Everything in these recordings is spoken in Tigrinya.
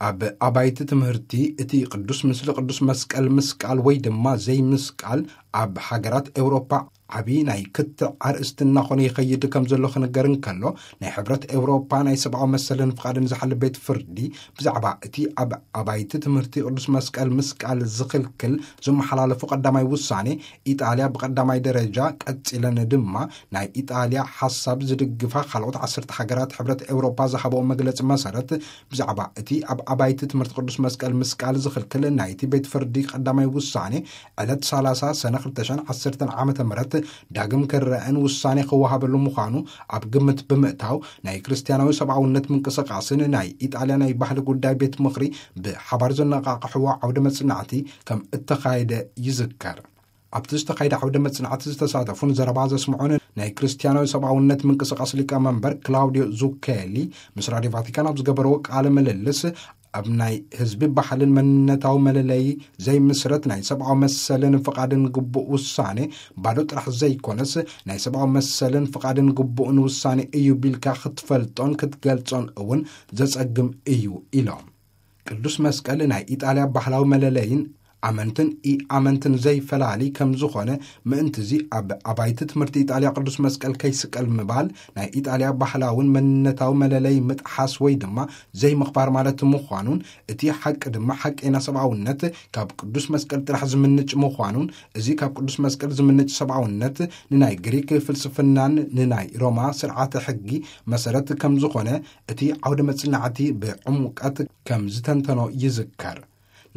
ኣብ ኣባይቲ ትምህርቲ እቲ ቅዱስ ምስሊ ቅዱስ መስቀል ምስቃል ወይ ድማ ዘይምስቃል ኣብ ሃገራት ኤውሮፓ ዓቢ ናይ ክትዕ ኣርእስቲ እናኾነ ይኸይድ ከም ዘሎ ክንገር እንከሎ፣ ናይ ሕብረት ኤውሮፓ ናይ ሰብኣዊ መሰልን ፍቓድን ዝሓሊ ቤት ፍርዲ ብዛዕባ እቲ ኣብ ኣባይቲ ትምህርቲ ቅዱስ መስቀል ምስቃል ዝኽልክል ዝመሓላለፉ ቀዳማይ ውሳኔ፣ ኢጣልያ ብቀዳማይ ደረጃ ቀጺለን ድማ ናይ ኢጣልያ ሓሳብ ዝድግፋ ካልኦት ዓሰርተ ሃገራት ሕብረት ኤውሮፓ ዝሃበኦ መግለጺ መሰረት፣ ብዛዕባ እቲ ኣብ ኣባይቲ ትምህርቲ ቅዱስ መስቀል ምስቃል ዝኽልክል ናይቲ ቤት ፍርዲ ቀዳማይ ውሳኔ ዕለት ሰላሳ ሰነ ክልተ ሽሕን ዓሰርተን ዓመተ ምህረት ዳግም ክረአን ውሳኔ ክወሃበሉ ምዃኑ ኣብ ግምት ብምእታው፣ ናይ ክርስትያናዊ ሰብኣውነት ምንቅስቃስን ናይ ኢጣልያ ናይ ባህሊ ጉዳይ ቤት ምኽሪ ብሓባር ዘነቓቕሕዎ ዓውደ መጽናዕቲ ከም እተኻየደ ይዝከር። ኣብቲ ዝተኻየደ ዓውደ መጽናዕቲ ዝተሳተፉን ዘረባ ዘስምዑን ናይ ክርስትያናዊ ሰብኣውነት ምንቅስቃስ ሊቀመንበር ክላውዲዮ ዙኬሊ ምስ ራድዮ ቫቲካን ኣብ ዝገበርዎ ቃለ ምልልስ፣ ኣብ ናይ ህዝቢ ባህልን መንነታዊ መለለዪ ዘይምስረት ናይ ሰብኣዊ መሰልን ፍቓድን ግቡእ ውሳኔ ባዶ ጥራሕ ዘይኮነስ፣ ናይ ሰብኣዊ መሰልን ፍቓድን ግቡእን ውሳኔ እዩ ቢልካ ክትፈልጦን ክትገልጾን እውን ዘጸግም እዩ ኢሎም። ቅዱስ መስቀል ናይ ኢጣልያ ባህላዊ መለለይን ኣመንትን ኢ-ኣመንትን ዘይፈላሊ ከም ዝኾነ ምእንትዚ ኣብ ኣባይቲ ትምህርቲ ኢጣልያ ቅዱስ መስቀል ከይስቀል ምባል ናይ ኢጣልያ ባህላውን መንነታዊ መለለይ ምጥሓስ ወይ ድማ ዘይምኽባር ማለት ምዃኑን፣ እቲ ሓቂ ድማ ሓቀይና ሰብኣውነት ካብ ቅዱስ መስቀል ጥራሕ ዝምንጭ ምዃኑን፣ እዚ ካብ ቅዱስ መስቀል ዝምንጭ ሰብኣውነት ንናይ ግሪክ ፍልስፍናን ንናይ ሮማ ስርዓተ ሕጊ መሰረት ከም ዝኾነ እቲ ዓውደ መጽናዕቲ ብዕሙቀት ከም ዝተንተኖ ይዝከር።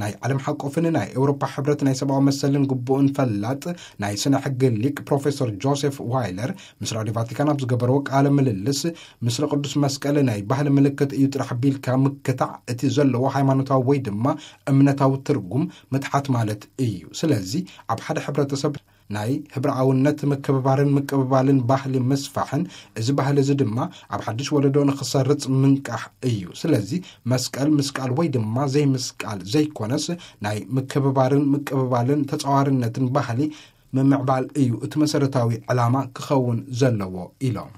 ናይ ዓለም ሓቆፍን ናይ ኤውሮፓ ሕብረት ናይ ሰብኣዊ መሰልን ግቡእን ፈላጥ ናይ ስነ ሕጊ ሊቅ ፕሮፌሰር ጆሴፍ ዋይለር ምስ ራድዮ ቫቲካን ኣብ ዝገበርዎ ቃለ ምልልስ፣ ምስለ ቅዱስ መስቀል ናይ ባህሊ ምልክት እዩ ጥራሕ ቢልካ ምክታዕ እቲ ዘለዎ ሃይማኖታዊ ወይ ድማ እምነታዊ ትርጉም ምትሓት ማለት እዩ። ስለዚ ኣብ ሓደ ሕብረተሰብ ናይ ህብረኣውነት ምክብባርን ምቅብባልን ባህሊ ምስፋሕን እዚ ባህሊ እዚ ድማ ኣብ ሓድሽ ወለዶ ንኽሰርጽ ምንቃሕ እዩ። ስለዚ መስቀል ምስቃል ወይ ድማ ዘይምስቃል ዘይኮነስ ናይ ምክብባርን ምቅብባልን ተጻዋርነትን ባህሊ ምምዕባል እዩ እቲ መሰረታዊ ዕላማ ክኸውን ዘለዎ ኢሎም።